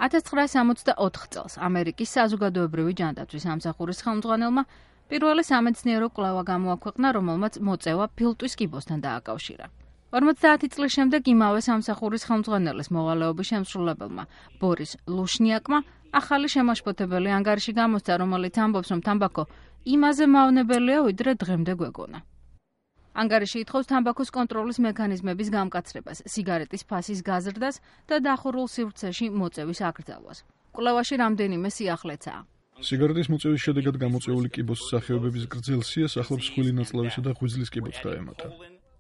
1964 წელს ამერიკის საზოგადოებრივი ჯანდაცვის სამსახურის ხელმძღვანელმა პირველი სამეცნიერო კვლევა გამოაქვეყნა, რომელმაც მოწევა ფილტვის კიბოსთან დააკავშირა. 50 წლის შემდეგ იმავე სამსახურის ხელმძღვანელის მოვალეობის შემსრულებელმა ბორის ლუშნიაკმა ახალი შემაშფოთებელი ანგარიში გამოსცა, რომელიც ამბობს, რომ თამბაქო იმაზე მავნებელია, ვიდრე დღემდე გვეგონა. ანგარიში ითხოვს თამბაქოს კონტროლის მექანიზმების გამკაცრებას, სიგარეტის ფასის გაზრდას და დახურულ სივრცეში მოწევის აკრძალვას. კვლევაში რამდენიმე სიახლეცაა. სიგარეტის მოწევის შედეგად გამოწეული კიბოს სახეობების გრძელ სიას ახლავს ხვილი ნაწლავისა და ღვიძლის კიბოც დაემატა.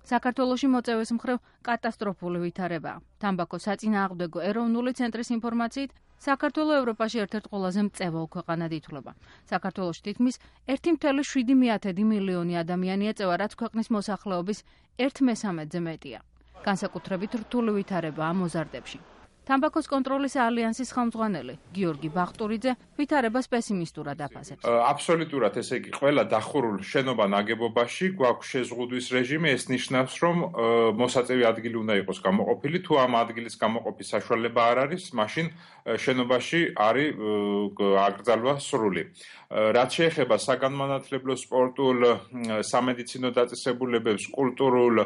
საქართველოში მოწევის მხრივ კატასტროფული ვითარებაა. თამბაქოს საწინააღმდეგო ეროვნული ცენტრის ინფორმაციით, საქართველო ევროპაში ერთ-ერთ ყველაზე მწევალ ქვეყანად ითვლება. საქართველოში თითქმის 1,7 მილიონი ადამიანი ეწევა, რაც ქვეყნის მოსახლეობის 1/3-ზე მეტია. განსაკუთრებით რთული ვითარებაა მოზარდებში. თამბაქოს კონტროლის ალიანსის ხელმძღვანელი გიორგი ბახტურიძე ვითარებას პესიმისტურად აფასებს. აბსოლუტურად, ესე იგი, ყველა დახურულ შენობა ნაგებობაში გვაქვს შეზღუდვის რეჟიმი, ეს ნიშნავს, რომ მოსაწევი ადგილი უნდა იყოს გამოყოფილი, თუ ამ ადგილის გამოყოფის საშუალება არ არის, მაშინ შენობაში არის აკრძალვა სრული. რაც შეეხება საგანმანათლებლო, სპორტულ, სამედიცინო დაწესებულებებს, კულტურულ,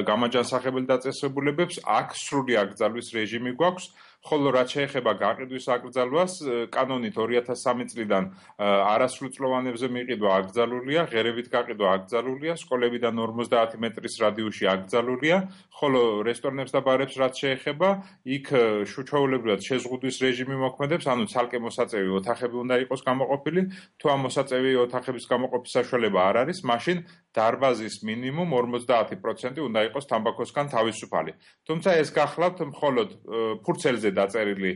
გამაჯანსაღებელ დაწესებულებებს, აქ სრული აკრძალვის რეჟიმი გვაქვს. ხოლო რაც შეეხება გაყიდვის აკრძალვას, კანონით 2003 წლიდან არასრულწლოვანებზე მიყიდვა აკრძალულია, ღერებით გაყიდვა აკრძალულია, სკოლებიდან 50 მეტრის რადიუსში აკრძალულია, ხოლო რესტორნებს და ბარებს რაც შეეხება, იქ ჩვეულებრივად შეზღუდვის რეჟიმი მოქმედებს, ანუ ცალკე მოსაწევი ოთახები უნდა იყოს გამოყოფილი, თუ ამ მოსაწევი ოთახების გამოყოფის საშუალება არ არის, მაშინ დარბაზის მინიმუმ 50% უნდა იყოს თამბაქოსგან თავისუფალი. თუმცა ეს გახლავთ მხოლოდ ფურცელზე დაწერილი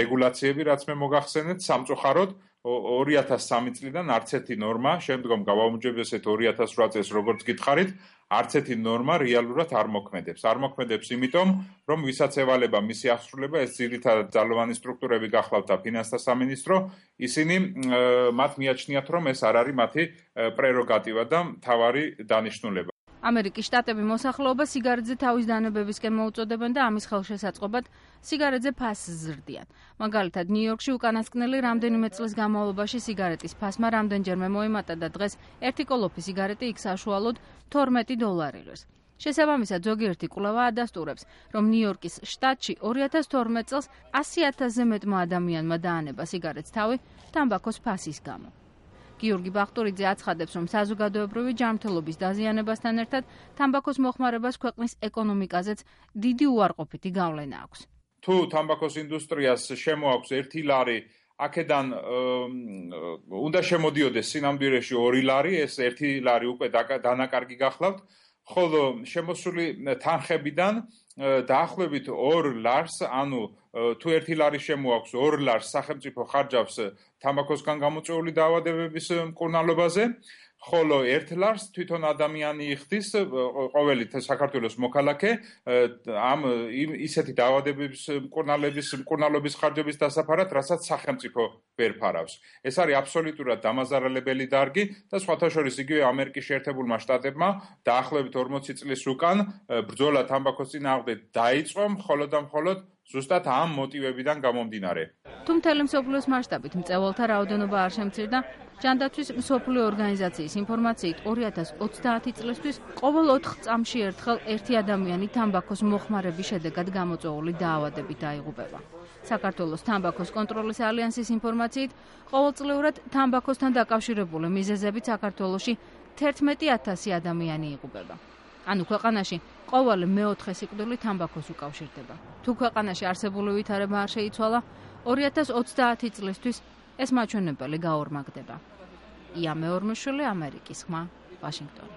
რეგულაციები, რაც მე მოგახსენეთ, სამწუხაროდ 2003 წლიდან არც ერთი ნორმა, შემდგომ გავაუმჯობესეთ 2008 წელს, როგორც გითხარით, არც ერთი ნორმა რეალურად არ მოქმედებს. არ მოქმედებს იმიტომ, რომ ვისაც ევალება მისი აღსრულება, ეს ძირითადად ძალოვანი სტრუქტურები გახლავთ და ფინანსთა სამინისტრო, ისინი მათ მიაჩნიათ, რომ ეს არ არის მათი პრეროგატივა და მთავარი დანიშნულება. ამერიკის შტატები მოსახლეობას სიგარეტზე თავის დანებებისკენ მოუწოდებენ და ამის ხელშესაწყობად სიგარეტზე ფასს ზრდიან. მაგალითად, ნიუ-იორკში უკანასკნელი რამდენიმე წლის განმავლობაში სიგარეტის ფასმა რამდენჯერმე მოიმატა და დღეს ერთი კოლოფი სიგარეტი იქ საშუალოდ $12 შესაბამისად, ზოგიერთი კვლევა ადასტურებს, რომ ნიუ-იორკის შტატში 2012 წელს 100,000-ზე მეტმა ადამიანმა დაანება სიგარეტს თავი თამბაქოს ფასის გამო. გიორგი ბახტურიძე აცხადებს, რომ საზოგადოებრივი ჯანმრთელობის დაზიანებასთან ერთად თამბაქოს მოხმარებას ქვეყნის ეკონომიკაზეც დიდი უარყოფითი გავლენა აქვს. თუ თამბაქოს ინდუსტრიას შემოაქვს $1, აქედან უნდა შემოდიოდეს სინამდვილეში $2, ეს $1 უკვე დანაკარგი გახლავთ, ხოლო შემოსული თანხებიდან დაახლოებით $2, ანუ თუ $1 შემოაქვს, $2 სახელმწიფო ხარჯავს თამბაქოსგან გამოწვეული დაავადებების მკურნალობაზე, ხოლო $1 თვითონ ადამიანი იხდის, ყოველი საქართველოს მოქალაქე ამ ისეთი დაავადებების მკურნალობის ხარჯების დასაფარად, რასაც სახელმწიფო ვერ ფარავს. ეს არის აბსოლუტურად დამაზარალებელი დარგი და სხვათა შორის იგივე ამერიკის შეერთებულმა შტატებმა დაახლოებით 40 წლის უკან ბრძოლა თამბაქოს წინააღმდეგ დაიწყო, მხოლოდ და მხოლოდ ზუსტად ამ მოტივებიდან გამომდინარე. თუ მთელი მსოფლიოს მასშტაბით მწევალთა რაოდენობა არ შემცირდა, ჯანდაცვის მსოფლიო ორგანიზაციის ინფორმაციით 2030 წლისთვის ყოველ 4 წამში ერთხელ ერთი ადამიანი თამბაქოს მოხმარების შედეგად გამოწვეული დაავადებით დაიღუპება. საქართველოს თამბაქოს კონტროლის ალიანსის ინფორმაციით, ყოველწლიურად თამბაქოსთან დაკავშირებული მიზეზებით საქართველოში 11,000 ადამიანი იღუპება. ანუ ქვეყანაში ყოველი მეოთხე სიკვდილი თამბაქოს უკავშირდება. თუ ქვეყანაში არსებული ვითარება არ შეიცვალა, 2030 წლისთვის ეს მაჩვენებელი გაორმაგდება. ია მეორმოშვილი, ამერიკის ხმა, ვაშინგტონი.